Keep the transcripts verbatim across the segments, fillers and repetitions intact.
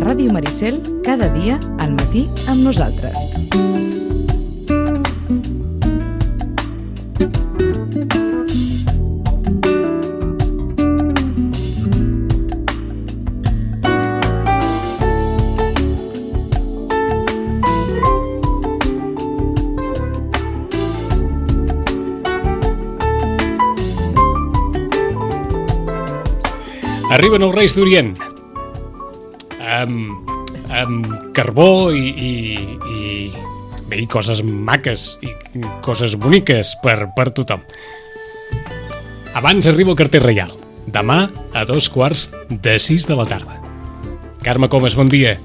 Ràdio Maricel, cada dia al matí amb nosaltres. Arriben els Reis d'Orient amb, amb carbó i, i, i, bé, i coses maques i coses boniques per, per tothom. Abans arriba el carter reial, demà a dos quarts de sis de la tarda. Carme Comas, bon dia.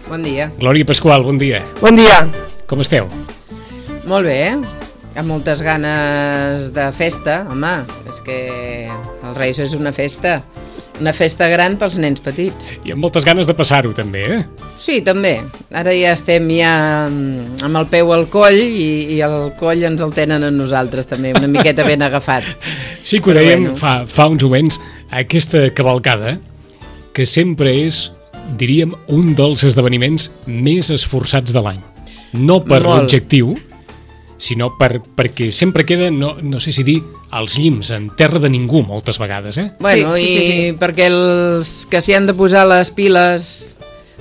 Bon dia. Glòria Pasqual, bon dia. Bon dia. Com esteu? Molt bé, amb moltes ganes de festa, home, és que els Reis és una festa. Una festa gran pels nens petits. I amb moltes ganes de passar-ho, també, eh? Sí, també. Ara ja estem ja amb el peu al coll i, i el coll ens el tenen a nosaltres, també, una miqueta ben agafat. Sí que ho dèiem bueno. fa, fa uns moments, aquesta cavalcada, que sempre és, diríem, un dels esdeveniments més esforçats de l'any. No per l'objectiu, sinó per, perquè sempre queda, no, no sé si dir, als llims, en terra de ningú, moltes vegades, eh? Bueno, sí, sí, sí, sí. I perquè els que s'hi han de posar les piles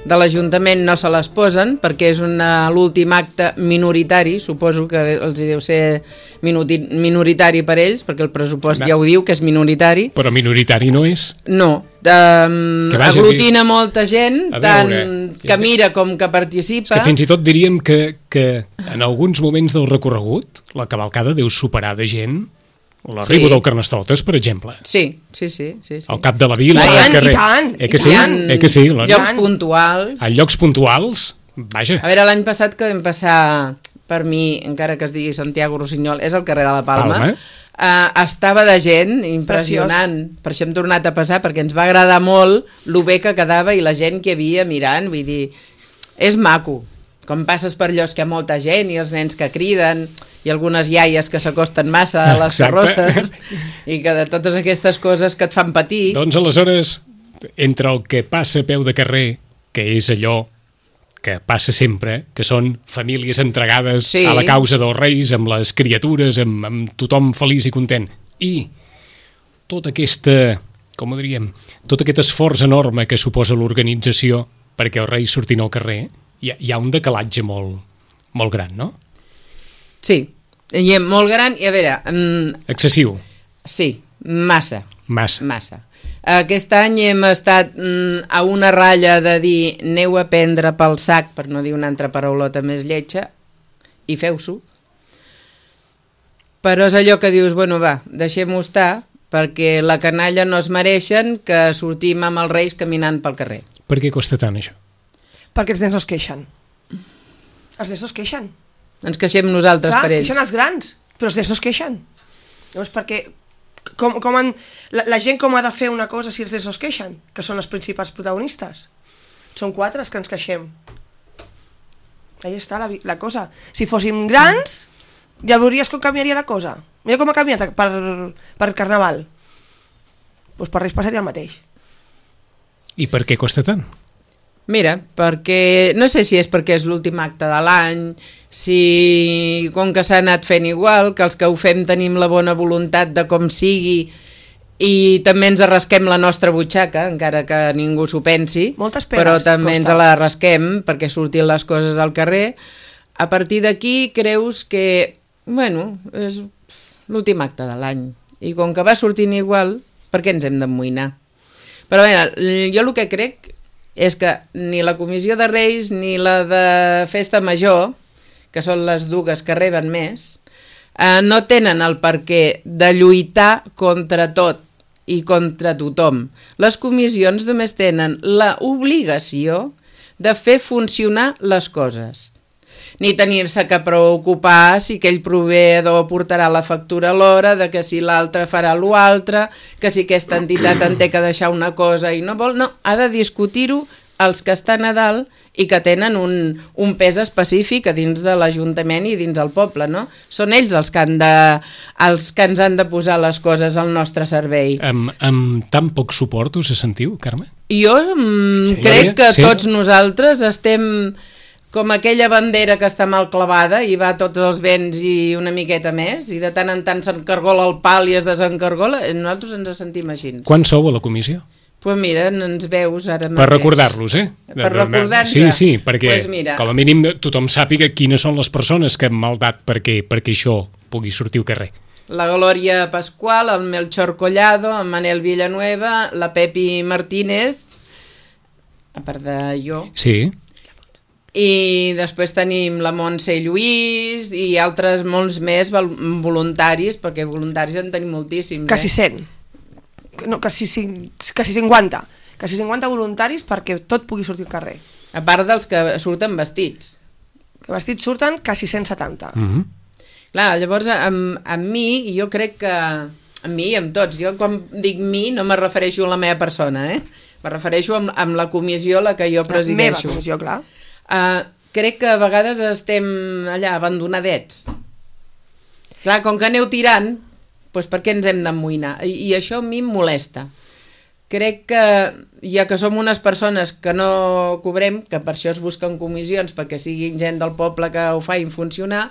de l'Ajuntament no se les posen, perquè és una, l'últim acte minoritari, suposo que els deu ser minoritari per ells, perquè el pressupost no. ja ho diu, que és minoritari. Però minoritari no és? No, um, aglutina molta gent, tant que mira com que participa. És que fins i tot diríem que, que en alguns moments del recorregut la cavalcada deu superar de gent l'arribo sí. del Carnestoltes, per exemple. Sí, sí, sí. sí, sí. Al cap de la vila, al carrer. I tant, eh que i sí? tant. Eh que sí? La... Llocs puntuals. A llocs puntuals, vaja. A veure, l'any passat que vam passar, per mi, encara que es digui Santiago Rossinyol, és el carrer de la Palma, Palma. Uh, estava de gent impressionant. Preciós. Per això hem tornat a passar, perquè ens va agradar molt lo bé que quedava i la gent que hi havia mirant, vull dir, és maco. Com passes per llocs que hi ha molta gent i els nens que criden i algunes iaies que s'acosten massa a les carrosses i que de totes aquestes coses que et fan patir. Doncs aleshores, entre el que passa a peu de carrer, que és allò que passa sempre, que són famílies entregades sí. a la causa dels Reis, amb les criatures, amb, amb tothom feliç i content, i tota aquesta, com ho diríem, tot aquest esforç enorme que suposa l'organització perquè els Reis surtin al carrer, hi ha, hi ha un decalatge molt, molt gran, no? Sí, i molt gran, i a veure... Um, excessiu. Sí, massa. Massa. Massa. Aquest any hem estat um, a una ratlla de dir aneu a prendre pel sac, per no dir una altra paraulota més lletja, i feu-s'ho. Però és allò que dius, bueno, va, deixem-ho estar, perquè la canalla no es mereixen que sortim amb els Reis caminant pel carrer. Per què costa tant, això? Perquè els nens no es queixen. Els nens no es queixen. Ens queixem nosaltres Clar, per ells. es queixen els grans, però els nens no es queixen. Llavors, perquè com, com han, la, la gent com ha de fer una cosa si els nens no es queixen? Que són els principals protagonistes. Són quatre els que ens queixem. Ahí està la, la cosa. Si fóssim grans, ja veuries com canviaria la cosa. Mira com ha canviat per, per Carnaval. Doncs per Reis passaria el mateix. I per què costa tant? Mira, perquè no sé si és perquè és l'últim acte de l'any, si com que s'ha anat fent igual, que els que ho fem tenim la bona voluntat de com sigui i també ens arrasquem la nostra butxaca, encara que ningú s'ho pensi, moltes pegues, però també costa. Ens la arrasquem perquè surtin les coses al carrer. A partir d'aquí creus que, bueno, és l'últim acte de l'any i com que va sortint igual, per què ens hem d'amoïnar? Però bé, jo el que crec és que ni la Comissió de Reis ni la de Festa Major, que són les dues que reben més, eh, no tenen el perquè de lluitar contra tot i contra tothom. Les comissions només tenen l'obligació de fer funcionar les coses. ni tenir-se que preocupar si aquell proveïdor portarà la factura a l'hora, de que si l'altre farà l'altre, que si aquesta entitat en té que deixar una cosa i no vol, no, ha de discutir-ho els que estan a dalt i que tenen un, un pes específic a dins de l'Ajuntament i dins del poble, no? Són ells els que, han de, els que ens han de posar les coses al nostre servei. Amb, amb tan poc suport us sentiu, Carme? Jo mm, sí, crec que sí. Tots nosaltres estem com aquella bandera que està mal clavada i va a tots els vents i una miqueta més, i de tant en tant s'encargola el pal i es desencargola, nosaltres ens sentim així. Quan sou a la comissió? Doncs pues mira, ens veus ara mateix. Per recordar-los, eh? Per recordar-nos. Sí, sí, perquè pues mira, com a mínim tothom sàpiga quines són les persones que han maldat perquè, perquè això pugui sortir al carrer. La Glòria Pasqual, el Melchor Collado, en Manel Villanueva, la Pepi Martínez, a part de jo. Sí. I després tenim la Montse Lluís i altres molts més voluntaris, perquè voluntaris en tenim moltíssims. Quasi eh? cent. No, quasi, quasi cinquanta. Quasi cinquanta voluntaris perquè tot pugui sortir al carrer. A part dels que surten vestits. Que vestits surten quasi cent setanta. Mm-hmm. Clar, llavors amb, amb mi, jo crec que amb mi i amb tots, jo quan dic mi no me refereixo a la meva persona, eh? Me refereixo amb, amb la comissió a la que jo presideixo. La meva comissió, clar. Uh, crec que a vegades estem allà abandonadets. Clar, com que aneu tirant, doncs per què ens hem d'amoïnar? I, I això a mi em molesta. Crec que, ja que som unes persones que no cobrem, que per això es busquen comissions, perquè siguin gent del poble que ho facin funcionar,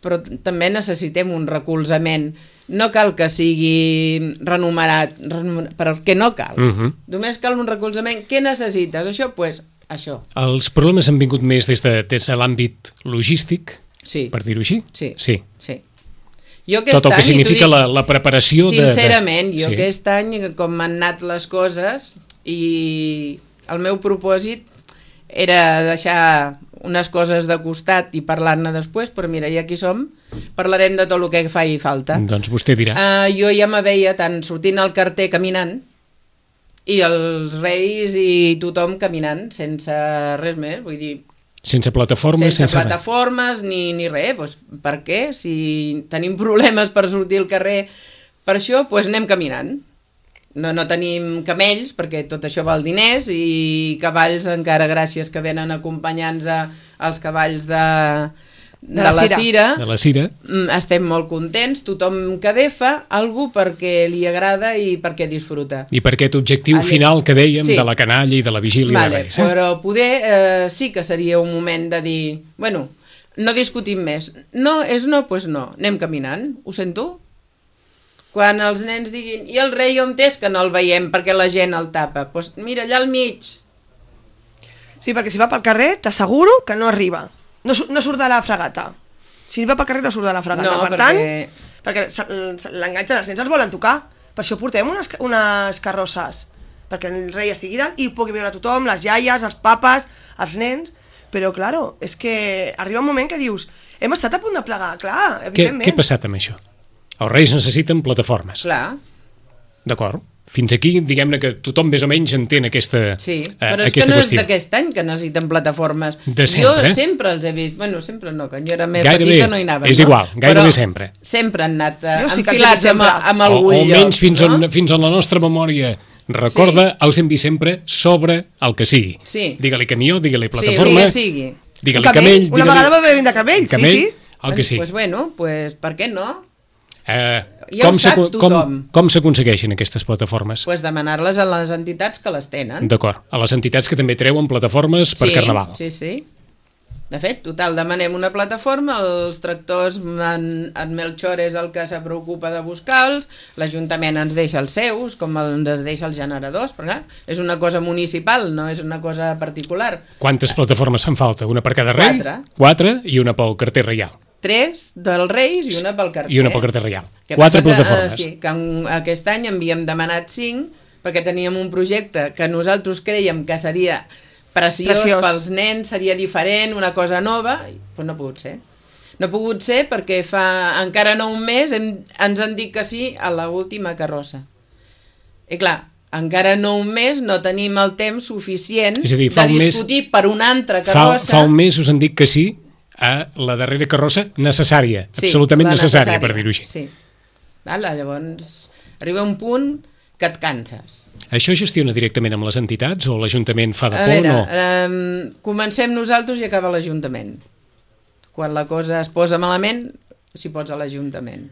però també necessitem un recolzament. No cal que sigui renumerat, renumerat perquè no cal. Uh-huh. Només cal un recolzament. Què necessites? Això, doncs, pues, això. Els problemes han vingut més des de, des de l'àmbit logístic, sí. Per dir-ho així? Sí. Sí. sí. Jo Tot el que significa dic, la, la preparació sincerament, de... Sincerament, jo sí. Aquest any, com m'han anat les coses, i el meu propòsit era deixar unes coses de costat i parlar-ne després, però mira, i aquí som, parlarem de tot el que faci falta. Doncs vostè dirà. Uh, jo ja me veia tant sortint al carter caminant, i els reis i tothom caminant, sense res més, vull dir... Sense plataformes? Sense, sense plataformes ni, ni res. Pues, per què? Si tenim problemes per sortir al carrer per això, doncs anem caminant. No, no tenim camells, perquè tot això val diners, i cavalls encara gràcies que venen acompanyants a, als cavalls de, de, de la, la Cira. De la Cira. Estem molt contents, tothom que ve fa algú perquè li agrada i perquè disfruta. I per aquest objectiu Allà... final que dèiem sí. De la canalla i de la vigília vale, de Reis. Eh? Però poder eh, sí que seria un moment de dir, bueno, no discutim més. No, és no, doncs no, anem caminant, ho sento? Quan els nens diguin, i el rei on és que no el veiem perquè la gent el tapa? Doncs pues mira, allà al mig. Sí, perquè si va pel carrer t'asseguro que no arriba. No, no surt de la fregata. Si va pel carrer no surt de la fregata. No, per perquè... tant, perquè l'enganxen, els nens els volen tocar. Per això portem unes, unes carrosses. Perquè el rei estigui dalt i pugui veure tothom, les iaies, els papes, els nens. Però, claro, és que arriba un moment que dius, hem estat a punt de plegar, clar, evidentment. Què, què ha passat amb això? Els reis necessiten plataformes. Clar. D'acord. Fins aquí, diguem-ne que tothom més o menys entén aquesta Sí, eh, però és que no qüestió. És d'aquest any que necessiten plataformes. De sempre. Jo sempre els he vist, bueno, sempre no, quan jo era més gairebé, petita no hi anaven. És no? igual, gairebé però sempre. Sempre han anat uh, sí enfilats amb, amb algun o, o lloc. Almenys fins, no? on, fins on la nostra memòria recorda, sí. Els hem vist sempre sobre el que sigui. Sí. Digue-li camió, digue-li plataforma, sí, sigui. digue-li camell. Una vegada va haver de camell, camell, sí, sí. El que sigui. Doncs bueno, pues, per què no? Eh, ja com ho sap tothom. Com, com s'aconsegueixen aquestes plataformes? Pues demanar-les a les entitats que les tenen. D'acord, a les entitats que també treuen plataformes per sí, Carnaval. Sí, sí. De fet, total, demanem una plataforma, els tractors, en, en Melchor és el que se preocupa de buscar-los, l'Ajuntament ens deixa els seus, com ens deixa els generadors, perquè és una cosa municipal, no és una cosa particular. Quantes plataformes fan falta? Una per cada rei? Quatre. Quatre i una pel carter reial. Tres dels Reis i una pel carter. I una pel carter reial. Que Quatre que, plataformes. Uh, sí, que en, aquest any havíem demanat cinc, perquè teníem un projecte que nosaltres creiem que seria preciós, preciós. Pels nens, seria diferent, una cosa nova, però no ha pogut ser. No ha pogut ser perquè fa encara no un mes hem, ens han dit que sí a l'última carrossa. I clar, encara no un mes no tenim el temps suficient dir, de discutir mes, per una altra carrossa. Fa, fa un mes us han dit que sí a la darrera carrossa necessària, sí, absolutament necessària, necessària, per dir-ho així. Sí. Vale, llavors arriba un punt que et canses. Això gestiona directament amb les entitats o l'Ajuntament fa de a por? Veure, no? eh, comencem nosaltres i acaba l'Ajuntament. Quan la cosa es posa malament, s'hi posa l'Ajuntament.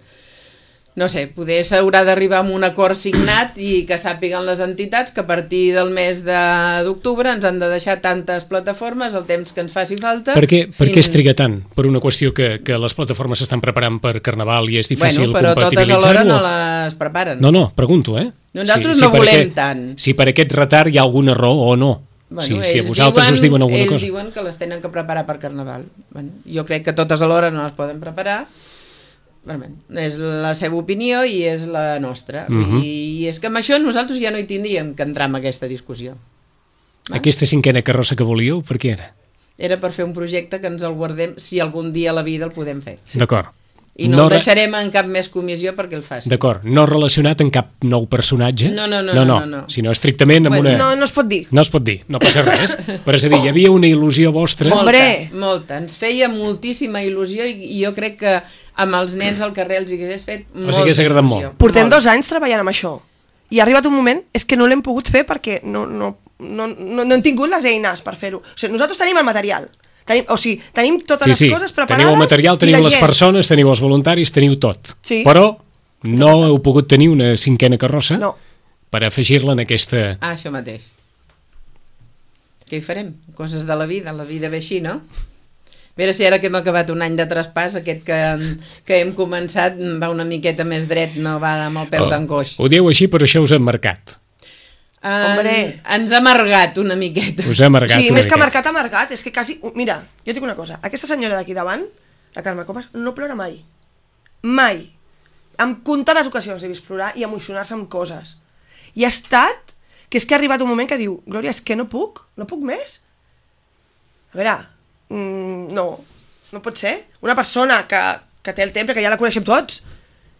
No sé, poder s'haurà d'arribar a un acord signat i que sàpiguen les entitats que a partir del mes d'octubre ens han de deixar tantes plataformes el temps que ens faci falta. Per què, per fins... què es triga tant? Per una qüestió que, que les plataformes s'estan preparant per Carnaval i és difícil bueno, compatibilitzar-ho? però totes alhora no les preparen. No, no, pregunto, eh? Nosaltres si, si no volem aquest, tant. Si per aquest retard hi ha alguna raó o no. Bueno, si, si a vosaltres diuen, us diuen alguna ells cosa. Ells diuen que les tenen que preparar per Carnaval. Bueno, jo crec que totes alhora no les poden preparar. Bueno, és la seva opinió i és la nostra. Uh -huh. I és que amb això nosaltres ja no hi tindríem que entrar en aquesta discussió. Va? Aquesta cinquena carrossa que volíeu, per què era? Era per fer un projecte que ens el guardem si algun dia a la vida el podem fer. Sí. D'acord. I no, no el deixarem en cap més comissió perquè el faci. D'acord, no relacionat amb cap nou personatge? No, no, no. No, no, no, no. sinó estrictament amb bueno, una... No, no es pot dir. No es pot dir, no passa res. Però és a dir, hi havia una il·lusió vostra... Molta, Hombre. molta. Ens feia moltíssima il·lusió i, i jo crec que amb els nens al carrer els hagués fet molta Els hagués agradat molt. Portem dos anys treballant amb això. I ha arribat un moment, és que no l'hem pogut fer perquè no, no, no, no, no hem tingut les eines per fer-ho. O sigui, nosaltres tenim el material. Tenim, o sigui, tenim totes sí, les sí. coses preparades. Teniu el material, teniu les gent. persones, teniu els voluntaris, teniu tot. Sí. Però no heu pogut tenir una cinquena carrossa no. per afegir-la en aquesta... Ah, això mateix. Què hi farem? Coses de la vida, la vida ve així, no? A veure si ara que hem acabat un any de traspàs, aquest que, que hem començat va una miqueta més dret, no va amb el peu oh, d'angoix. Ho dieu així, però això us ha marcat. En, ens ha amargat una miqueta. Us ha amargat sí, una més miqueta. que marcat, ha marcat. És que quasi... Mira, jo et dic una cosa. Aquesta senyora d'aquí davant, la Carme Comas, no plora mai. Mai. En comptades ocasions he vist plorar i emocionar-se amb coses. I ha estat que és que ha arribat un moment que diu Glòria, és que no puc, no puc més. A veure, mm, no, no pot ser. Una persona que, que té el temps, que ja la coneixem tots,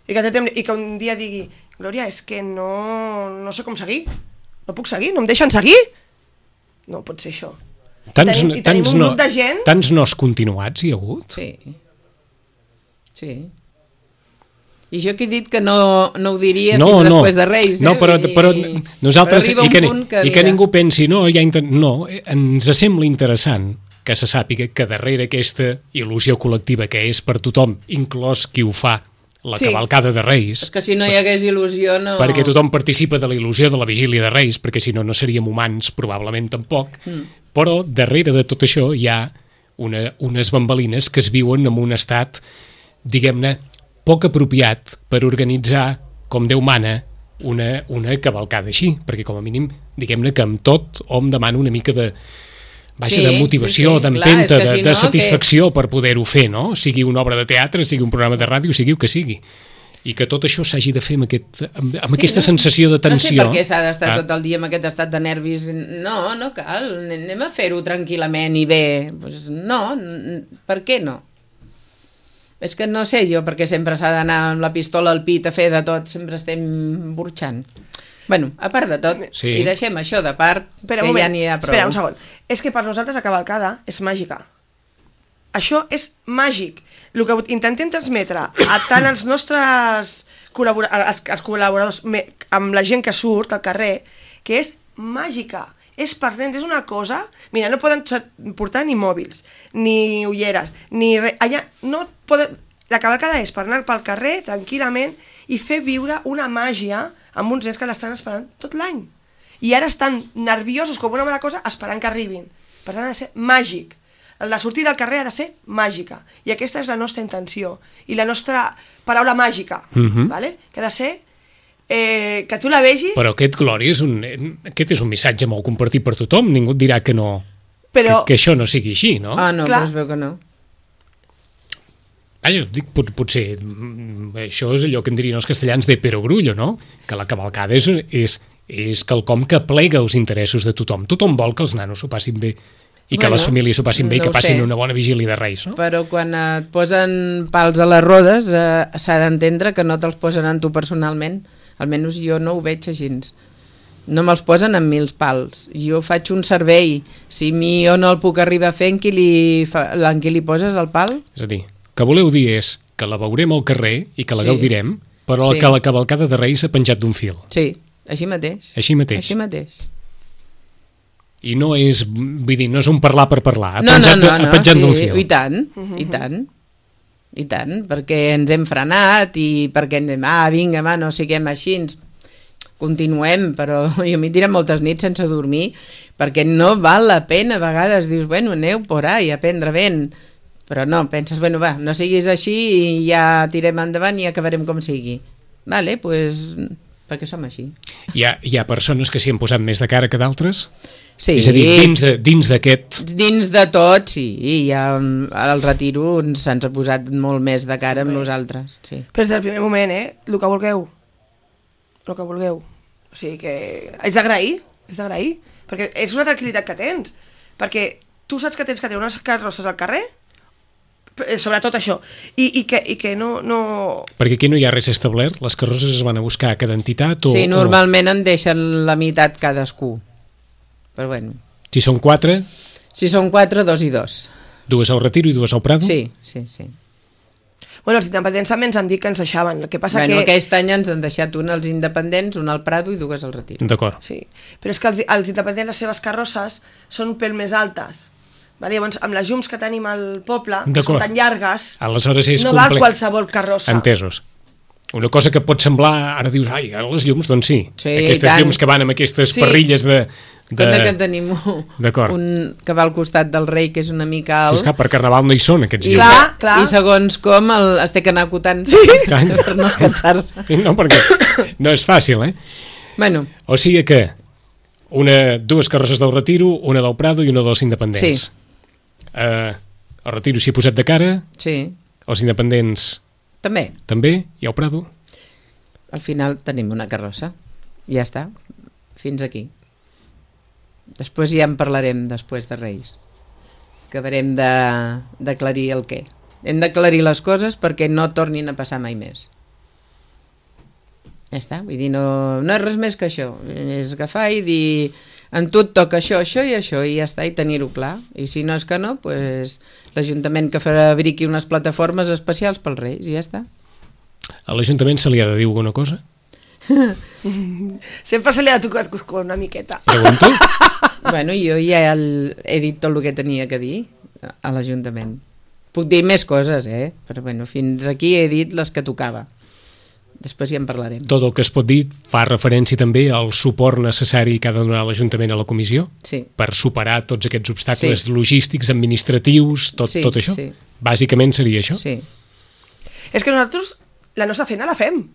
i que, té temps, i que un dia digui Glòria, és que no, no sé com seguir. No puc seguir, no em deixen seguir. No pot ser això. Tants, I tenim, i tenim tants, un no, grup de gent... tants nos continuats hi ha hagut? Sí. Sí. I jo que he dit que no, no ho diria no, fins no. després de Reis. Eh? No, però, I, però nosaltres... però I que, que, i que ningú pensi, no, ja inter... no, ens sembla interessant que se sàpiga que darrere aquesta il·lusió col·lectiva que és per tothom, inclòs qui ho fa, la sí. cavalcada de Reis... És que si no hi hagués il·lusió no... Perquè tothom participa de la il·lusió de la vigília de Reis, perquè si no, no seríem humans, probablement tampoc, mm. però darrere de tot això hi ha una, unes bambalines que es viuen en un estat, diguem-ne, poc apropiat per organitzar, com Déu mana, una, una cavalcada així, perquè com a mínim, diguem-ne que amb tot hom demana una mica de... Vaja, sí, de motivació, sí, sí, d'empenta, de, si no, de satisfacció que... per poder-ho fer, no? Sigui una obra de teatre, sigui un programa de ràdio, sigui el que sigui. I que tot això s'hagi de fer amb, aquest, amb, amb sí, aquesta no? sensació de tensió. No sé per què s'ha d'estar ah. tot el dia amb aquest estat de nervis. No, no cal, anem a fer-ho tranquil·lament i bé. Pues no, per què no? És que no sé jo perquè sempre s'ha d'anar amb la pistola al pit a fer de tot, sempre estem burxant. Bueno, a part de tot, sí. i deixem això de part, espera, que moment, ja n'hi ha prou. Espera, un segon. És que per nosaltres la cavalcada és màgica. Això és màgic. El que intentem transmetre a tant els nostres col·laboradors, els, els col·laboradors amb la gent que surt al carrer, que és màgica. És per nens, és una cosa... Mira, no poden portar ni mòbils, ni ulleres, ni res. Allà no poden... La cavalcada és per anar pel carrer tranquil·lament i fer viure una màgia amb uns nens que l'estan esperant tot l'any. I ara estan nerviosos com una mala cosa esperant que arribin. Per tant, ha de ser màgic. La sortida al carrer ha de ser màgica. I aquesta és la nostra intenció. I la nostra paraula màgica, uh-huh. vale? Que ha de ser eh, que tu la vegis... Però aquest, Glòria, és un, aquest és un missatge molt compartit per tothom. Ningú et dirà que no... Però... Que, que això no sigui així, no? Ah, no, clar. Però es veu que no. Vaja, dic, pot, potser això és allò que en dirien els castellans de perogrullo, no? Que la cavalcada és, és, és quelcom que plega els interessos de tothom. Tothom vol que els nanos s'ho passin bé i que bueno, les famílies s'ho passin bé no i que passin sé. Una bona vigília de Reis, no? Però quan et posen pals a les rodes eh, s'ha d'entendre que no te'ls posen en tu personalment. Almenys jo no ho veig així. No me'ls posen en mils pals. Jo faig un servei. Si mi jo no el puc arribar a fer, en qui li, fa, en qui li poses el pal? És a dir, que voleu dir és que la veurem al carrer i que la Sí. gaudirem, però Sí. que la cavalcada de Reis ha penjat d'un fil. Sí, així mateix. Així mateix. Així mateix. I no és, vull dir, no és un parlar per parlar, ha No, no, penjat, no, ha no, penjat d'un sí, fil. i tant, i tant. I tant, perquè ens hem frenat i perquè ens hem, ah, vinga, va, no siguem així, ens continuem, però jo m'hi tira moltes nits sense dormir, perquè no val la pena, a vegades dius, bueno, aneu por ahí a prendre vent, però no, penses, bueno, va, no siguis així i ja tirem endavant i acabarem com sigui. Vale, pues, perquè som així. Hi ha, hi ha persones que s'hi han posat més de cara que d'altres? Sí. És a dir, dins de- dins d'aquest... Dins de tot, sí, i ja al retiro se'ns ha posat molt més de cara amb nosaltres, sí. Però des del primer moment, eh? El que vulgueu. El que vulgueu. O sigui que... És d'agrair, és d'agrair. Perquè és una tranquil·litat que tens. Perquè tu saps que tens que tenir unes carrosses al carrer, eh, sobretot això, i, i, que, i que no, no... Perquè aquí no hi ha res establert, les carrosses es van a buscar a cada entitat o... Sí, o- normalment en deixen la meitat cadascú. Però bueno, Si són quatre, si són quatre, dos i dos. dues al Retiro i dues al Prado? Sí, sí, sí. Bueno, els independents també ens han dit que ens deixaven. El que passa Bueno, que... aquest any ens han deixat un als independents, un al Prado i dues al Retiro. D'acord. Sí, però és que els, els independents, les seves carrosses són un pèl més altes. Vale? Llavors, amb les llums que tenim al poble, que D'acord. són tan llargues, Aleshores és no val complex. qualsevol carrossa. Entesos. Una cosa que pot semblar, ara dius, ai, ara les llums, doncs sí. Sí, Aquestes i tant. llums que van amb aquestes Sí. parrilles de... de... Compte que tenim D'acord. un que va al costat del rei, que és una mica Si alt, és que per Carnaval no hi són, aquests i, llums. Clar, clar. i segons com el, es té que anar acotant sí. per no escansar-se. No, perquè no és fàcil, eh? Bueno, O sigui que una, dues carrosses del Retiro, una del Prado i una dels independents. Sí. Uh, el Retiro s'hi ha posat de cara, sí, els independents també. també, i el Prado. Al final tenim una carrossa. Ja està. Fins aquí. Després ja en parlarem després de Reis. Acabarem de- d'aclarir el què. Hem d'aclarir les coses perquè no tornin a passar mai més. Ja està. Vull dir, no, no és res més que això. És agafar i dir en tu et toca això, això i això i ja està, i tenir-ho clar. I si no és que no, pues, l'Ajuntament que fabriqui unes plataformes especials pels Reis i ja està. A l'Ajuntament se li ha de dir alguna cosa? Sempre se li ha tocat cuscó una miqueta. Pregunto. Bueno, jo ja el, he dit tot el que tenia que dir a l'Ajuntament. Puc dir més coses, eh? Però bueno, fins aquí he dit les que tocava. Després ja en parlarem. Tot el que es pot dir fa referència també al suport necessari que ha de donar l'Ajuntament a la comissió Sí. per superar tots aquests obstacles Sí. logístics, administratius, tot, Sí, tot això? sí. Bàsicament seria això? Sí. És que nosaltres la nostra feina la fem.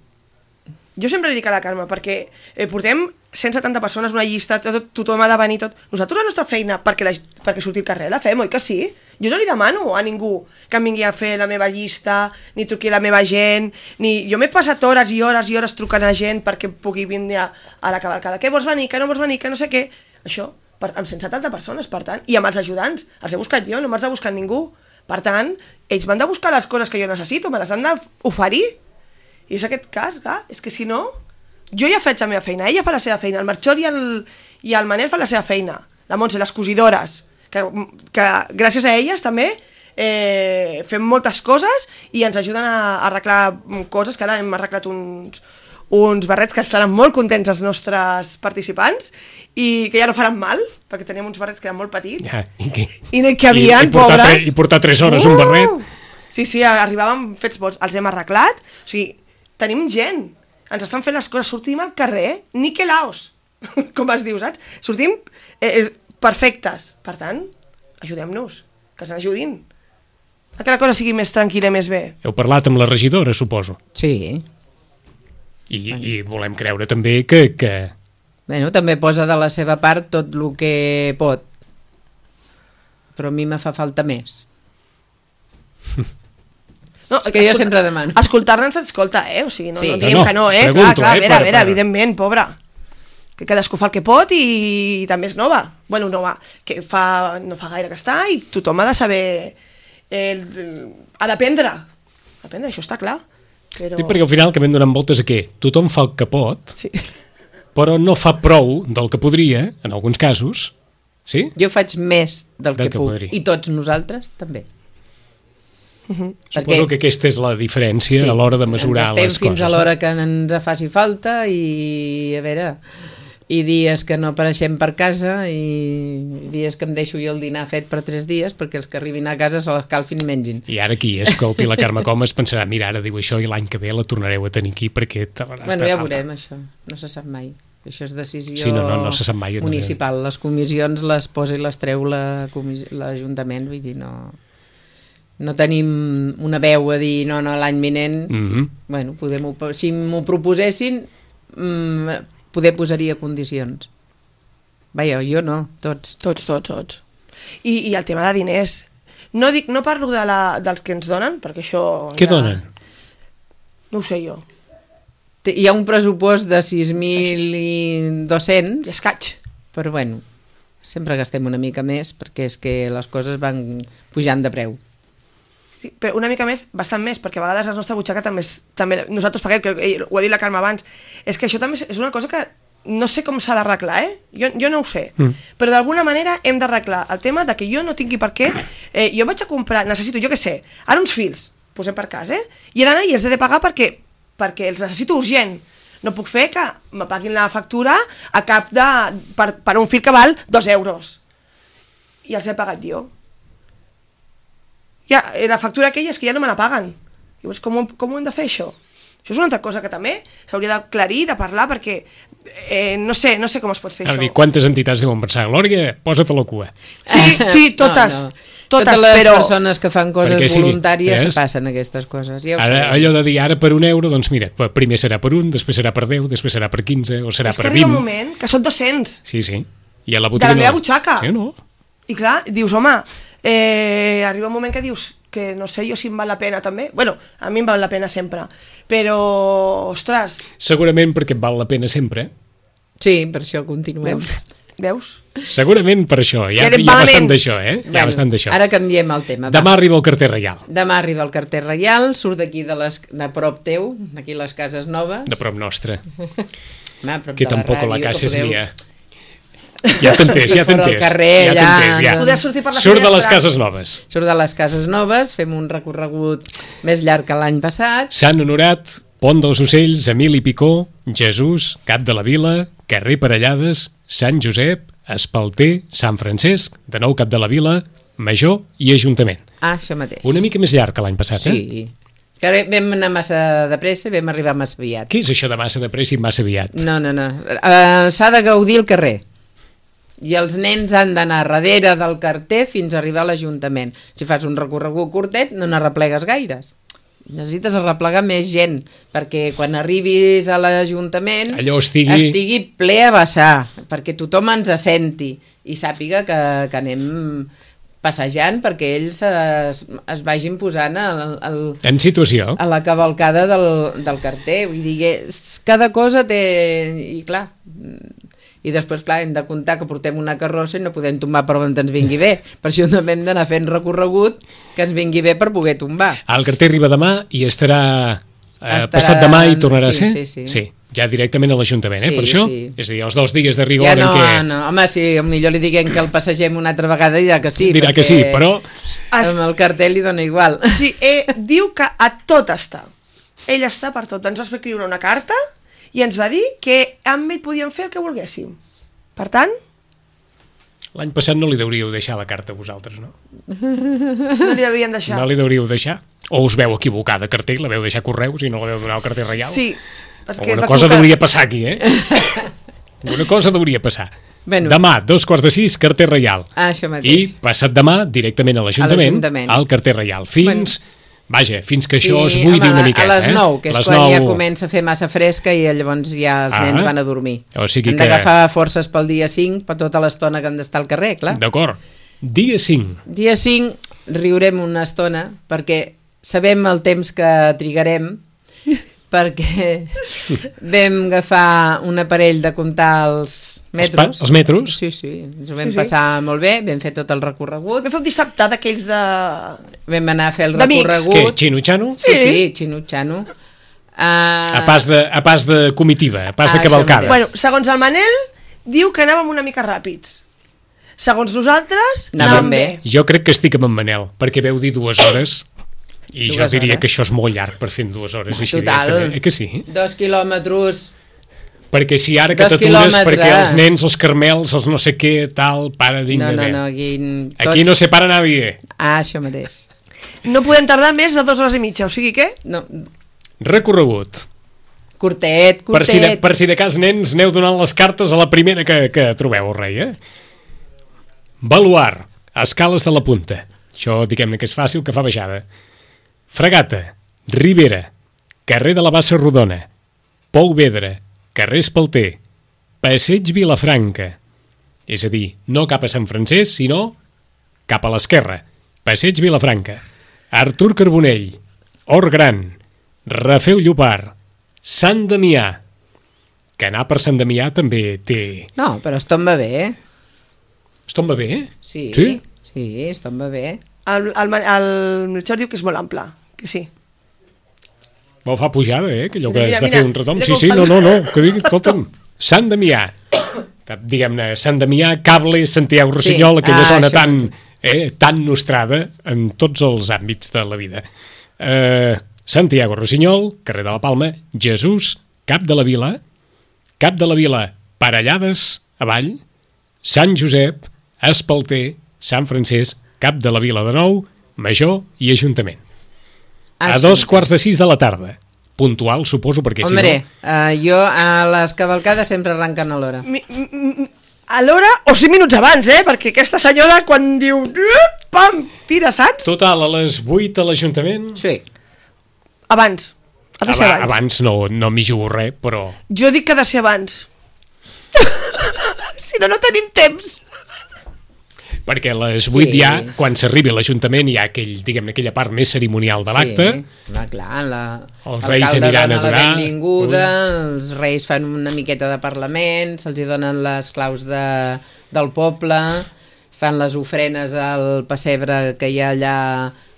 Jo sempre li dic a la Carme, perquè eh, portem cent setanta persones, una llista, tot, tothom ha de venir, tot. Nosaltres la nostra feina, perquè, la, perquè surti al carrer, la fem, oi que sí? Jo no li demano a ningú que em vingui a fer la meva llista, ni truqui a la meva gent, ni... Jo m'he passat hores i hores i hores trucant a gent perquè pugui vindre a, a la cavalcada. Què vols venir, que no vols venir, que no sé què... Això, per, amb cent setanta persones, per tant, i amb els ajudants. Els he buscat jo, no me'ls ha buscat ningú. Per tant, ells m'han de buscar les coses que jo necessito, me les han d'oferir. I és aquest cas, clar, és que si no... Jo ja faig la meva feina, ella fa la seva feina, el Marxor i el, i el Manel fan la seva feina, la Montse, les cosidores, que, que gràcies a elles també eh, fem moltes coses i ens ajuden a, a arreglar coses, que ara hem arreglat uns, uns barrets que estaran molt contents els nostres participants i que ja no faran mal, perquè teníem uns barrets que eren molt petits Ja, i, que, i no hi cabien, i, i portar pobres. tre, I portar tres hores uh! un barret. Sí, sí, arribàvem fets bons, els hem arreglat, o sigui, tenim gent, ens estan fent les coses, sortim al carrer, niquelaos, com es diu, saps? Sortim eh, perfectes, per tant, ajudem-nos, que ens ajudin, a que la cosa sigui més tranquil·la i més bé. Heu parlat amb la regidora, suposo. Sí. I, i volem creure també que, que... Bueno, també posa de la seva part tot el que pot. Però a mi me fa falta més. No, És que jo sempre demano. Escoltar-nos ens escolta, eh? O sigui, no, Sí. no No, diem no, que no, eh? pregunto, clar, clar, eh, a veure, per- a veure, per- evidentment, pobre. Que cadascú fa el que pot i, i també és nova. Bueno, nova, que fa, no fa gaire que està i tothom ha de saber... El, ha d'aprendre. Aprendre, això està clar. Però... Dic perquè al final acabem donant voltes a què? Tothom fa el que pot Sí. però no fa prou del que podria, en alguns casos, sí? Jo faig més del, Del que, que puc, podria. i tots nosaltres també. Uh-huh. Suposo que aquesta és la diferència a l'hora de mesurar ens estem les fins coses. a l'hora que ens faci falta i, a veure, i dies que no apareixem per casa i dies que em deixo jo el dinar fet per tres dies perquè els que arribin a casa se l'escalfin i mengin. I ara qui escolti la Carme Comas pensarà, mira, ara diu això i l'any que ve la tornareu a tenir aquí perquè... Bueno, ja veurem això, no se sap mai. Això és decisió sí, no, no, no se sap mai, municipal. Les comissions les posa i les treu l'Ajuntament, vull dir, no... no tenim una veu a dir no, no, l'any vinent, mm-hmm. bueno, podem, si m'ho proposessin mm, poder posaria condicions. Vaja, jo no, tots. Tots, tots, tots. I, i el tema de diners, no, dic, no parlo de la, dels que ens donen, perquè això... Què ja... donen? No ho sé jo. Hi ha un pressupost de sis mil dos-cents I escaig. però bueno, sempre gastem una mica més perquè és que les coses van pujant de preu. Sí, però una mica més, bastant més, perquè a vegades la nostra butxaca també, és, també nosaltres paguem, que eh, ho ha dit la Carme abans, és que això també és una cosa que no sé com s'ha d'arreglar, eh? Jo, jo no ho sé, mm. però d'alguna manera hem d'arreglar el tema de que jo no tingui per què, eh, jo vaig a comprar, necessito, jo què sé, ara uns fils, posem per cas, eh? I he d'anar i els he de pagar perquè, perquè els necessito urgent. No puc fer que me paguin la factura a cap de, per, per un fil que val dos euros. I els he pagat jo. Ja, la factura aquella és que ja no me la paguen. Llavors, com, com ho hem de fer, això? Això és una altra cosa que també s'hauria d'aclarir, de parlar, perquè eh, no sé, no sé com es pot fer Ara això. dir, quantes entitats deuen pensar? Glòria, posa't a la cua. Sí, sí, totes. No, no. Totes, Totes les però... persones que fan coses sí, voluntàries eh? se passen aquestes coses. Ja ara, allò de dir ara per un euro, doncs mira, primer serà per un, després serà per deu, després serà per quinze, o serà és per que arriba vint. un moment que són dos-cents. Sí, sí. I a la De botiga la meva no. butxaca. Sí, no? I clar, dius, home, eh, arriba un moment que dius que no sé jo si em val la pena també. Bueno, a mi em val la pena sempre. Però, ostres... Segurament perquè et val la pena sempre. Sí, per això continuem. Veus? Veus? Segurament per això. Hi ha, Que hi ha bastant d'això, eh? Hi ha Bueno, bastant d'això. ara canviem el tema. Demà arriba el carter reial. Demà arriba el carter reial, surt d'aquí de, les, de prop teu, d'aquí les cases noves. De prop nostra. Ma, prop Que de la tampoc ràdio, la casa que és podeu- mia. Ja t'he entès, ja t'he Fora al entès. carrer, Ja t'he allà. entès, ja. Poder sortir per la Surt de les finestra. cases noves. Surt de les cases noves, fem un recorregut més llarg que l'any passat. Sant Honorat, Pont dels Ocells, Emili Picó, Jesús, Cap de la Vila, Carrer Parellades, Sant Josep, Espalter, Sant Francesc, de nou Cap de la Vila, Major i Ajuntament. Ah, això mateix. Una mica més llarg que l'any passat, eh? Sí. Que ara vam anar massa de pressa i vam arribar massa aviat. Què és això de massa de pressa i massa aviat? No, no, no. Uh, S'ha de gaudir el carrer. I els nens han d'anar darrere del carter fins a arribar a l'Ajuntament. Si fas un recorregut curtet, no n'arreplegues gaires. Necessites arreplegar més gent, perquè quan arribis a l'Ajuntament Allò estigui... estigui ple a vessar, perquè tothom ens senti i sàpiga que, que anem passejant perquè ells es, es vagin posant al, al, En situació. a la cavalcada del, del carter. Vull dir que cada cosa té... I clar, i després, clar, hem de comptar que portem una carrossa i no podem tombar per on ens vingui bé. Per això també hem d'anar fent recorregut que ens vingui bé per poder tombar. El carter arriba demà i estarà, eh, Estarà- passat demà i tornarà sí, a ser? sí, sí. sí. Ja directament a l'Ajuntament, eh, Sí, per això? sí. És a dir, els dos dies de rigor Ja no, en què... no, home, si millor li diguem que el passegem una altra vegada dirà que sí. Dirà perquè que sí, però... Es... amb el cartell li dona igual. Sí, eh, diu que a tot està. Ell està per tot. Ens va escriure una carta i ens va dir que amb ell podíem fer el que volguéssim. Per tant, L'any passat no li deuríeu deixar la carta a vosaltres, no? no li devien deixar. No li deuríeu deixar? O us veu equivocar de cartell, la veu deixar correus i no la veu donar al carter reial? Sí. Perquè Alguna es va cosa equivocar. hauria passar aquí, eh? Alguna cosa hauria passar. Bueno. Demà, dos quarts de sis, carter reial. Ah, això I mateix. passat demà, directament a l'Ajuntament, l'Ajuntament. al carter reial. Fins... Vaja, fins que això es I, buidi home, una miqueta, a les eh? nou, que és Les quan nou... ja comença a fer massa fresca i llavors ja els Ah. nens van a dormir. O sigui han que- d'agafar forces pel dia cinc, per tota l'estona que han d'estar al carrer, clar. D'acord. Dia cinc. Dia cinc riurem una estona perquè sabem el temps que trigarem perquè vam agafar un aparell de comptar els metros. Els pa- els metros? Sí, sí, ens ho vam Sí, sí. passar molt bé, vam fer tot el recorregut, Vam fer un dissabte d'aquells de... vam anar a fer el D'amics. Què, recorregut. xino-xano? Sí, sí, xinutxano. Uh... A pas de, a pas de comitiva, a pas Ah, de cavalcada. Bueno, segons el Manel, diu que anàvem una mica ràpids. Segons nosaltres, Anàvem anàvem bé. bé. Jo crec que estic amb en Manel, perquè veu dir dues hores i Dues jo diria hores. que això és molt llarg per fer en dues hores. Així Total. directament. Eh que sí? Dos quilòmetres... Perquè si ara que Dos t'atures quilòmetres. perquè els nens, els carmels, els no sé què, tal, para No, digne no, bé. no, aquí... Aquí no se para nadie. Ah, això mateix. No podem tardar més de dues hores i mitja, o sigui què? No, Recorregut. curtet, curtet. Per si, de, per si de cas, nens, aneu donant les cartes a la primera que, que trobeu, rei, eh? Baluar, escales de la punta. Això, diguem-ne que és fàcil, que fa baixada. Fregata, Ribera, carrer de la Bassa Rodona, Pou Vedra, carrer Espalter, Passeig Vilafranca. És a dir, no cap a Sant Francesc, sinó cap a l'esquerra. Passeig Vilafranca, Artur Carbonell, Hort Gran, Rafeu Llopart, Sant Damià. Que anar per Sant Damià també té... No, però es tomba bé, eh? Es tomba bé, eh? Sí, Sí? sí, es tomba bé. El, el, el Melchor diu que és molt ample, que sí. Vol fa pujada, eh? Que allò que Mira, has de mira, fer un retom. mira Sí, com sí, fa no, el- no, no. Que digui, escolta'm, Sant Damià. Diguem-ne, Sant Damià, Cable, Santiago Rossinyol, Sí. aquella Ah, zona això tan, mateix. eh, tan nostrada en tots els àmbits de la vida. Eh, Santiago Rossinyol, carrer de la Palma, Jesús, Cap de la Vila, Cap de la Vila, Parellades, avall, Sant Josep, Espalter, Sant Francesc, Cap de la Vila de nou, Major i Ajuntament. A Així. dos quarts de sis de la tarda. Puntual, suposo, perquè Hombre, si no... uh, jo a les cavalcades sempre arrenquen a l'hora. Mi, mi, a l'hora o cinc minuts abans, eh? Perquè aquesta senyora quan diu... Pam! Tira, saps? Total, a les vuit a l'Ajuntament... Sí. Abans. Ha de ser Aba- abans. Abans no, no m'hi jugo res, però... Jo dic que ha de ser abans. Si no, no tenim temps. Perquè a les vuit Sí. ja, quan s'arribi a l'Ajuntament, hi ha aquell, diguem aquella part més cerimonial de l'acte. Sí, va, clar, la, Els reis l'alcalde aniran a dona la donar. benvinguda, els reis fan una miqueta de parlament, se'ls hi donen les claus de, del poble, fan les ofrenes al pessebre que hi ha allà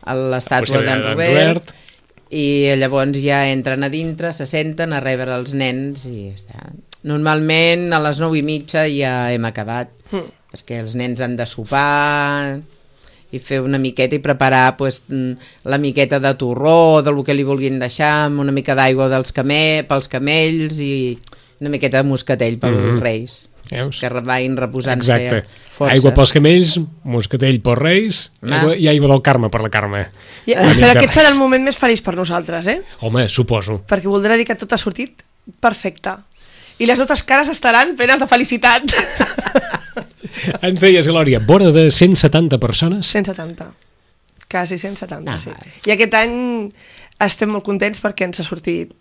a l'estàtua pessebre d'en d'en Robert, Robert. i llavors ja entren a dintre, se senten a rebre els nens i ja està. Normalment a les nou i mitja ja hem acabat, Mm. perquè els nens han de sopar i fer una miqueta i preparar pues, la miqueta de torró, del que li vulguin deixar, amb una mica d'aigua dels camell, pels camells i una miqueta de moscatell pels Mhm. reis, Veus? que vagin reposant Exacte. forces. Aigua pels camells, moscatell pels reis Ah. aigua, i aigua del Carme per la Carme. I, Una mica però aquest res. serà el moment més feliç per nosaltres, eh? Home, suposo. Perquè voldrà dir que tot ha sortit perfecte. I les nostres cares estaran plenes de felicitat. Ens deies, Glòria, vora de cent setanta persones? cent setanta. Quasi cent setanta, Ah, sí. vale. I aquest any estem molt contents perquè ens ha sortit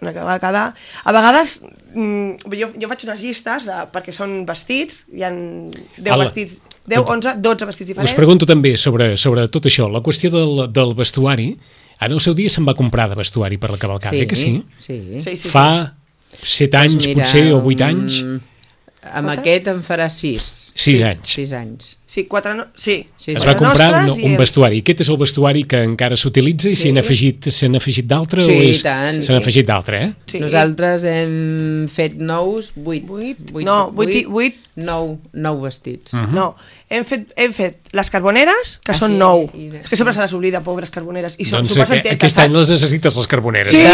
una cavalcada. A vegades, mm, jo, jo faig unes llistes de, perquè són vestits, hi ha deu Ala. vestits, deu, onze, dotze vestits diferents. Us pregunto també sobre, sobre tot això, la qüestió del, del vestuari. En el seu dia se'n va comprar de vestuari per la cavalcada, eh que sí? Sí. Sí, sí, Fa set anys, Doncs mira, potser, o vuit anys? mm, Amb Quatre? aquest en farà sis. Sis sis, anys. Sis anys. Sí, quatre no... Sí. Sí, Es sí. va Quatre comprar no, nostres i un el- vestuari. Aquest és el vestuari que encara s'utilitza i Sí. s'hi han afegit, s'han afegit d'altre? Sí, o és... tant. S'han afegit d'altre, eh? Sí. Nosaltres hem fet nous, vuit. Vuit? No, vuit i- vuit. Nou, nou vestits. Mhm. No, hem fet, hem fet les carboneres, que Ah, són sí? nou. I de- És que sempre sí. se les oblida, pobres carboneres. I són Doncs super aquest, aquest any les necessites, les carboneres. Sí. Eh?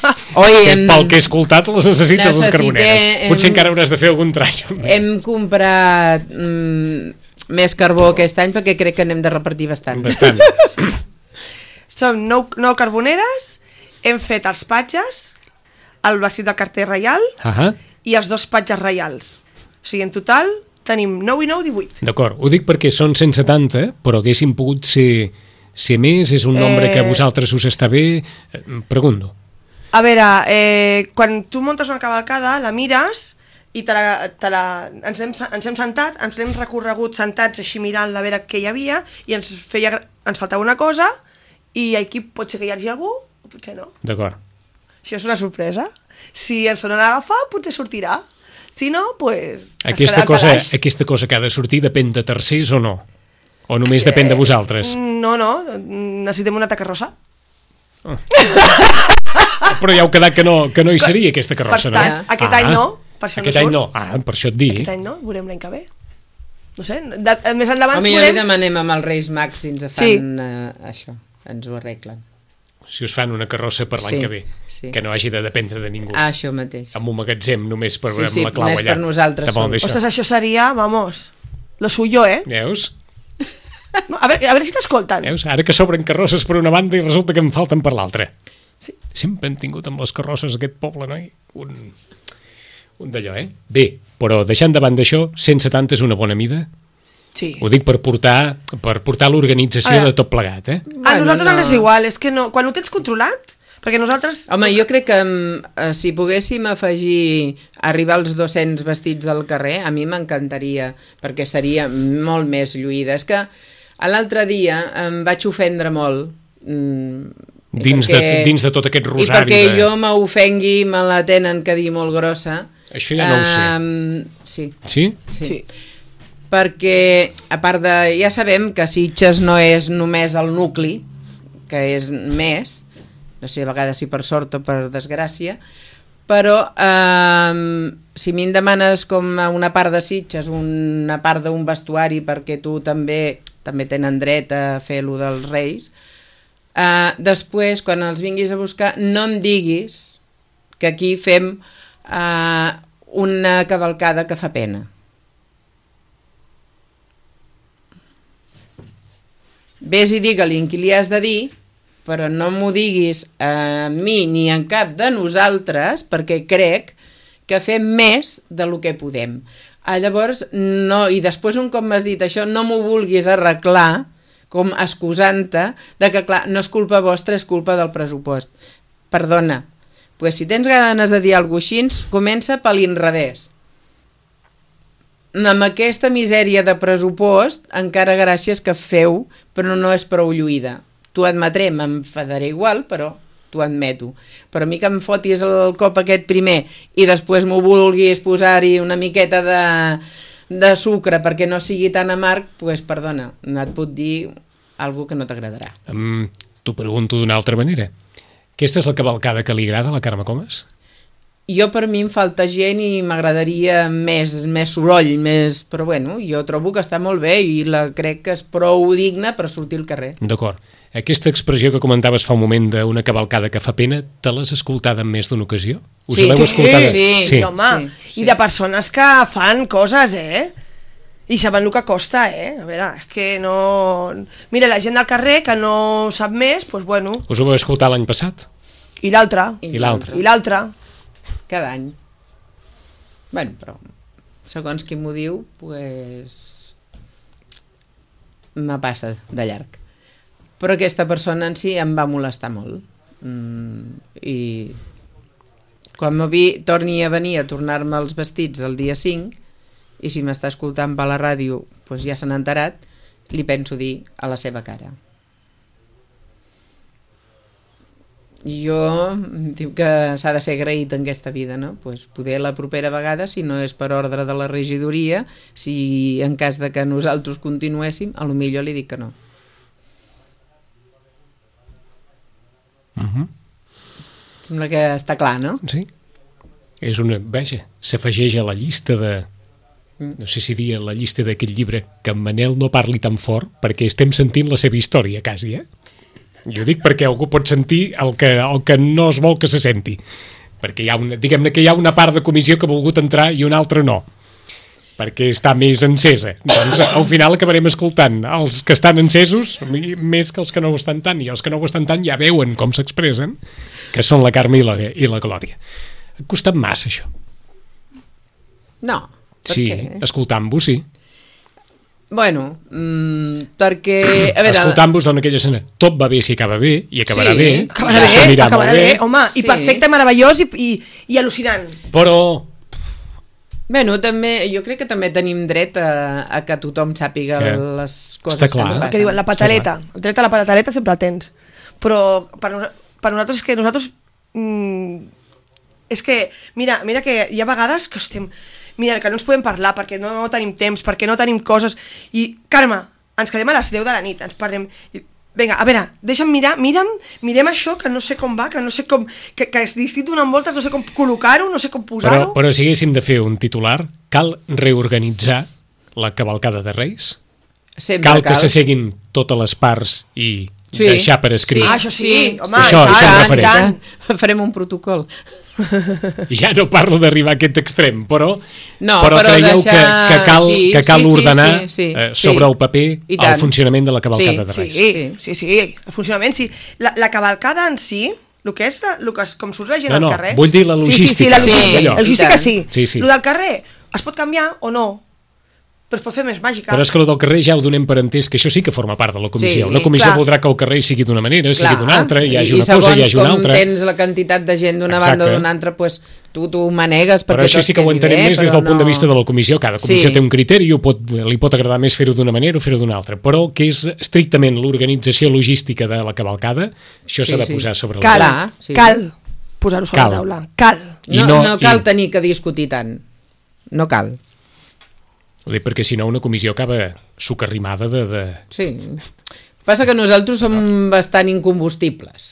Tant. Oi, hem, Pel que he escoltat, les necessites, les Necessite- carboneres. hem- Potser encara hauràs de fer algun trall. hem comprat mm, més carbó aquest any perquè crec que n'hem de repartir bastant. Bastant. Són nou, nou carboneres, hem fet els patges, el vestit del carter reial Ah, i els dos patges reials. O sigui, en total tenim nou i nou, divuit. d'acord. Ho dic perquè són cent setanta, però haguessin pogut ser, ser més, és un nombre Eh. que a vosaltres us està bé. Eh, Pregunto. A veure, eh, quan tu muntes una cavalcada, la mires i te la, te la, ens, hem, ens hem sentat, ens l'hem recorregut sentats així mirant a veure què hi havia i ens, feia, gra- ens faltava una cosa i aquí pot ser que hi hagi algú o potser no. D'acord. Això és una sorpresa. Si ens sonen a agafar, potser sortirà. Si no, doncs... Pues, es Aquesta quedarà al cosa, calaix. aquesta cosa que ha de sortir depèn de tercers o no? O només depèn de vosaltres? No, no, necessitem una tacarrossa. Oh. Però ja heu quedat que no, que no hi seria aquesta carrossa, per tant, no? Aquest ah, any no, per això aquest no any surt. no, ah, per això et dic. Aquest any no, veurem l'any que ve. No sé, de, més endavant Home, ja podem... li demanem amb els Reis Mags si ens fan Sí. uh, això, ens ho arreglen. Si us fan una carrossa per l'any Sí, que ve, sí. que no hagi de dependre de ningú. Ah, això mateix. Amb un magatzem només per Sí, veure sí, la clau només allà. per nosaltres Te vol sols. dir això. Ostres, això seria, vamos, lo suyo, eh? Veus? No, a, veure, a veure si t'escolten. Veus? Ara que s'obren carrosses per una banda i resulta que en falten per l'altra. Sí. Sempre hem tingut amb les carrosses aquest poble, noi? Un, un d'allò, eh? Bé, però deixant de banda això, cent setanta és una bona mida? Sí. Ho dic per portar, per portar l'organització Ah. de tot plegat, eh? A Bueno, nosaltres no. ens és igual, és que no, quan ho tens controlat, perquè nosaltres... Home, jo crec que eh, si poguéssim afegir arribar als dos-cents vestits al carrer, a mi m'encantaria, perquè seria molt més lluïda. És que l'altre dia em vaig ofendre molt. Mm, Dins, perquè, de, dins de tot aquest I rosari perquè de... jo m'ofengui, me la tenen que dir molt grossa. Això ja no ho sé. Um, sí, Sí? sí. Sí. Perquè, a part de... Ja sabem que Sitges no és només el nucli, que és més, no sé, a vegades si per sort o per desgràcia, però eh, si a mi em demanes com a una part de Sitges, una part d'un vestuari, perquè tu també també tenen dret a fer lo dels Reis, eh, després, quan els vinguis a buscar, no em diguis que aquí fem eh, una cavalcada que fa pena. Ves i digue-li en qui li has de dir, però no m'ho diguis a mi ni en cap de nosaltres, perquè crec que fem més de lo que podem. Ah, llavors, no, i després un cop m'has dit això, no m'ho vulguis arreglar com excusant-te de que, clar, no és culpa vostra, és culpa del pressupost. Perdona, pues si tens ganes de dir alguna cosa així, comença per l'inrevés. Amb aquesta misèria de pressupost, encara gràcies que feu, però no és prou lluïda. T'ho admetré, m'enfadaré igual, però t'ho admeto. Però a mi que em fotis el cop aquest primer i després m'ho vulguis posar-hi una miqueta de, de sucre perquè no sigui tan amarg, doncs pues, perdona, no et puc dir alguna que no t'agradarà. Um, T'ho pregunto d'una altra manera. Aquesta és la cavalcada que li agrada a la Carme Comas? Jo per mi em falta gent i m'agradaria més, més soroll, més... però bueno, jo trobo que està molt bé i la crec que és prou digna per sortir al carrer. D'acord. Aquesta expressió que comentaves fa un moment d'una cavalcada que fa pena, te l'has escoltada en més d'una ocasió? Us Sí. l'heu escoltada? Sí. Sí, home, Sí, sí. i de persones que fan coses, eh? I saben el que costa, eh? A veure, és que no... Mira, la gent del carrer que no sap més, doncs bueno, Us ho vau escoltar l'any passat? i l'altre, I l'altre. i l'altre. Cada any. Bueno, però segons qui m'ho diu, pues, me passa de llarg. Però aquesta persona en si em va molestar molt. Mm, I quan me vi, torni a venir a tornar-me els vestits el dia cinc, i si m'està escoltant per la ràdio, pues ja s'han enterat, li penso dir a la seva cara. Jo diu que s'ha de ser agraït en aquesta vida, no? Pues poder la propera vegada, si no és per ordre de la regidoria, si en cas de que nosaltres continuéssim, a lo millor li dic que no. Uh-huh. Sembla que està clar, no? Sí. És una... Vaja, s'afegeix a la llista de... No sé si dir a la llista d'aquest llibre que en Manel no parli tan fort perquè estem sentint la seva història, quasi, eh? Jo dic perquè algú pot sentir el que, el que no es vol que se senti. Perquè hi ha una, diguem-ne que hi ha una part de comissió que ha volgut entrar i una altra no. Perquè està més encesa. Doncs al final acabarem escoltant els que estan encesos més que els que no ho estan tant. I els que no ho estan tant ja veuen com s'expressen, que són la Carme i la, i la Glòria. Ha costat massa, això. No. Per Sí, què? escoltant-vos, sí. Bueno, mmm, perquè... A veure, Escoltant-vos en aquella escena, tot va bé si acaba bé, i acabarà Sí. bé, Acabarà i bé, s'anirà acabarà molt bé, bé, home, Sí. i perfecte, meravellós i, i, i al·lucinant. però bueno, també, jo crec que també tenim dret a, a que tothom sàpiga Que les coses està que clar. ens El passen. Que diuen, la pataleta, el dret a la pataleta sempre el tens. Però per, nos- per nosaltres és que nosaltres... Mm, és que, mira, mira que hi ha vegades que estem... Mira, que no ens podem parlar perquè no tenim temps, perquè no tenim coses... I, Carme, ens quedem a les deu de la nit, ens parlem... I, Vinga, a veure, deixa'm mirar, mira'm, mirem això, que no sé com va, que no sé com... Que, que és distinct donant voltes, no sé com col·locar-ho, no sé com posar-ho... Però, però si haguéssim de fer un titular, cal reorganitzar la cavalcada de Reis? Sempre cal, cal que s'asseguin totes les parts i sí. deixar per escrit? Sí. Ah, això sí, sí. home, això, i tant, això em i refereix. tant. Farem un protocol. Ja no parlo d'arribar a aquest extrem, però, no, però, però creieu deixar... que, que cal, sí, que cal sí, ordenar sí, sí, eh, sí, sobre sí. el paper el funcionament de la cavalcada sí, de Reis. Sí, sí, sí, el funcionament sí. La, la cavalcada en si, el que és, el que és com surt la gent no, no, al carrer... vull dir la logística. Sí, sí, sí, la logística, sí, la logística sí. sí, sí. El del carrer es pot canviar o no, però es pot fer més màgica. Però és que el del carrer ja ho donem per entès que això sí que forma part de la comissió. Sí, una comissió clar. voldrà que el carrer sigui d'una manera, Clar. sigui d'una altra, hi hagi I, una cosa, hi hagi una altra. I segons altra. com tens la quantitat de gent d'una banda o d'una altra, pues, tu t'ho manegues perquè però això sí que ho entenem bé, més des del no... punt de vista de la comissió. Cada comissió sí. té un criteri, ho pot, li pot agradar més fer-ho d'una manera o fer-ho d'una altra, però que és estrictament l'organització logística de la cavalcada, això Sí, s'ha de sí. posar sobre la Cal, taula. Clar, sí. cal posar-ho sobre Cal. la taula. Cal. I No, no- no cal i- tenir que discutir tant. No cal. Ho dic perquè si no una comissió acaba sucarrimada de... de... Sí. Passa que nosaltres som bastant incombustibles.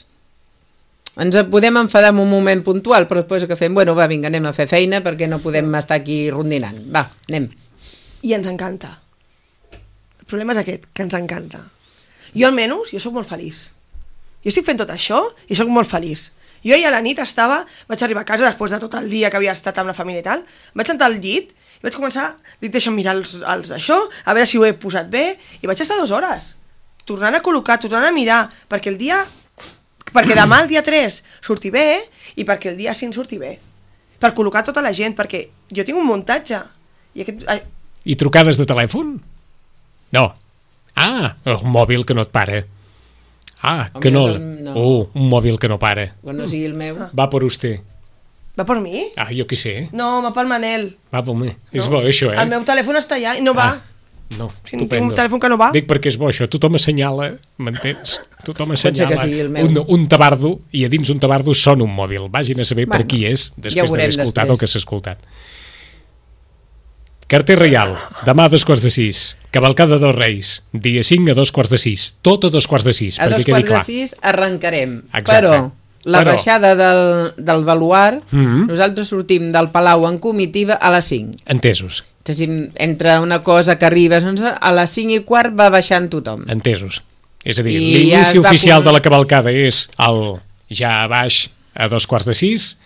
Ens podem enfadar en un moment puntual, però després que fem, bueno, va, vinga, anem a fer feina perquè no podem estar aquí rondinant. Va, anem. I ens encanta. El problema és aquest, que ens encanta. Jo almenys, jo sóc molt feliç. Jo estic fent tot això i sóc molt feliç. Jo ahir a la nit estava, vaig arribar a casa després de tot el dia que havia estat amb la família i tal, vaig sentar al llit i vaig començar, dic, deixa'm mirar els, els això, a veure si ho he posat bé, i vaig estar dues hores, tornant a col·locar, tornant a mirar, perquè el dia, perquè demà el dia tres surti bé, i perquè el dia cinc surti bé, per col·locar tota la gent, perquè jo tinc un muntatge, i aquest... Ai, I trucades de telèfon? No. Ah, un mòbil que no et para. Ah, El que no... meu és el- no. Oh, un mòbil que no para. Quan no sigui el meu. Va per usted. va per mi? Ah, jo què sé. No, va pel Manel. Va per mi. És No. bo, això, eh? El meu telèfon està allà i no va. Ah, no, Si tinc estupendo. un telèfon que no va. Dic perquè és bo això, tothom assenyala, m'entens? Tothom ser que assenyala sigui el meu. un, un tabardo i a dins un tabardo sona un mòbil. Vagin a saber Bueno, per qui és ja després ho d'haver veurem escoltat després. el que s'ha escoltat. Carter Reial, demà a dos quarts de sis. Cavalcada dels Reis, dia cinc a dos quarts de sis. Tot a dos quarts de sis, A perquè dos quedi quarts de clar. sis arrencarem. Exacte. Però la Però- baixada del, del baluar, Mhm. nosaltres sortim del Palau en comitiva a les cinc. Entesos, És a dir, entre una cosa que arribes, doncs, a les cinc i quart va baixant tothom. entesos. És a dir, I l'inici ja es va oficial com- de la cavalcada és el ja a baix a dos quarts de sis.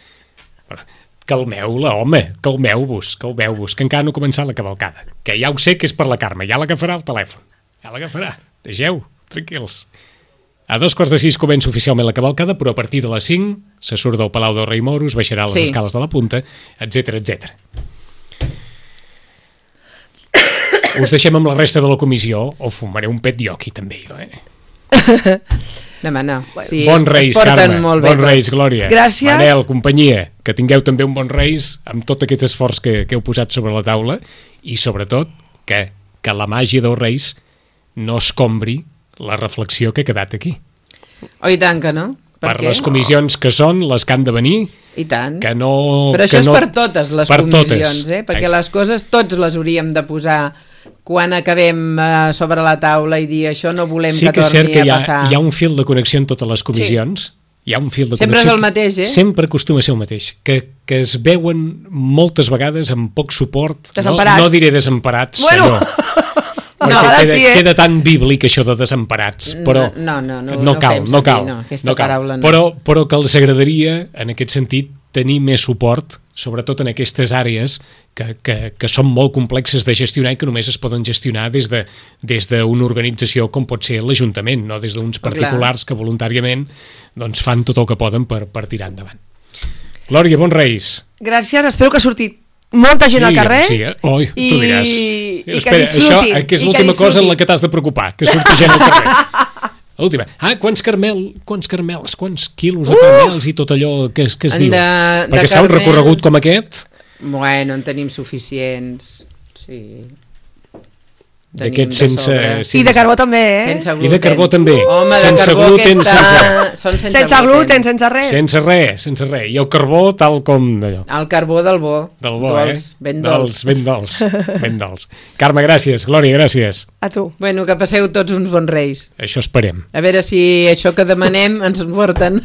Calmeu-la, home, calmeu-vos, calmeu-vos, que encara no ha començat la cavalcada. Que ja ho sé que és per la Carme, ja l'agafarà el telèfon. Ja l'agafarà, deixeu, tranquils. A dos quarts de sis comença oficialment la cavalcada, però a partir de les cinc se surt del Palau del Rei Moros, baixarà les Sí. escales de la punta, etcètera, etcètera. Us deixem amb la resta de la comissió, o fumaré un pet jo aquí també, jo, eh? No, home, no. Sí, Bon es, Reis, es porten Carme, molt bé bon Reis, tots. Glòria. Gràcies. Manel, companyia, que tingueu també un bon Reis amb tot aquest esforç que, que heu posat sobre la taula i sobretot que, que la màgia dels Reis no escombri la reflexió que ha quedat aquí. Oh, i tant que no. Per, Per què? les comissions que són, les que han de venir, I tant. que no... Però això que és no... per totes les per comissions, totes. eh? Perquè les coses tots les hauríem de posar quan acabem eh, sobre la taula i dir això no volem Sí que que és cert torni que hi a ha, passar. hi ha un fil de connexió en totes les comissions. Sí. Hi ha un fil de Sempre és connexió el mateix, eh? que Sempre acostuma a ser el mateix. Que, que es veuen moltes vegades amb poc suport. Desemparats. No, no diré desemparats, Bueno. senyor. Perquè No, ara queda, sí, eh? queda tan bíblic això de desemparats, però No, no, no, no no cal, fem no servir, cal, no, aquesta no cal. paraula no. Però, però que els agradaria, en aquest sentit, tenir més suport, sobretot en aquestes àrees que, que, que són molt complexes de gestionar i que només es poden gestionar des de des d'una organització com pot ser l'Ajuntament, no des d'uns particulars que voluntàriament doncs, fan tot el que poden per, per tirar endavant. Glòria, bons Reis. Gràcies, espero que ha sortit molta gent Sí, al carrer. sí, eh? Oi, tu i, diràs. i que Espera, disfrutin. això que és i l'última cosa en disfrutin. la que t'has de preocupar, que surti gent al carrer. L'última. Ah, quants carmel, quants carmels, quants quilos de carmels i tot allò que, es- que es En diu. de- de Perquè s'ha un carmels- recorregut com aquest... Bueno, en tenim suficients. Sí. D'aquests sense... I de carbó també, eh? Sense gluten. I de carbó també. Home, sense de carbó gluten, aquesta... sense... Són sense, sense gluten, sense res. Sense res, sense res. I el carbó tal com d'allò. El carbó del bo. Del bo, dolç, eh? Ben dolç. Dels, ben dolç, ben dolç. Carme, gràcies. Glòria, gràcies. A tu. Bueno, que passeu tots uns bons reis. Això esperem. A veure si això que demanem ens porten.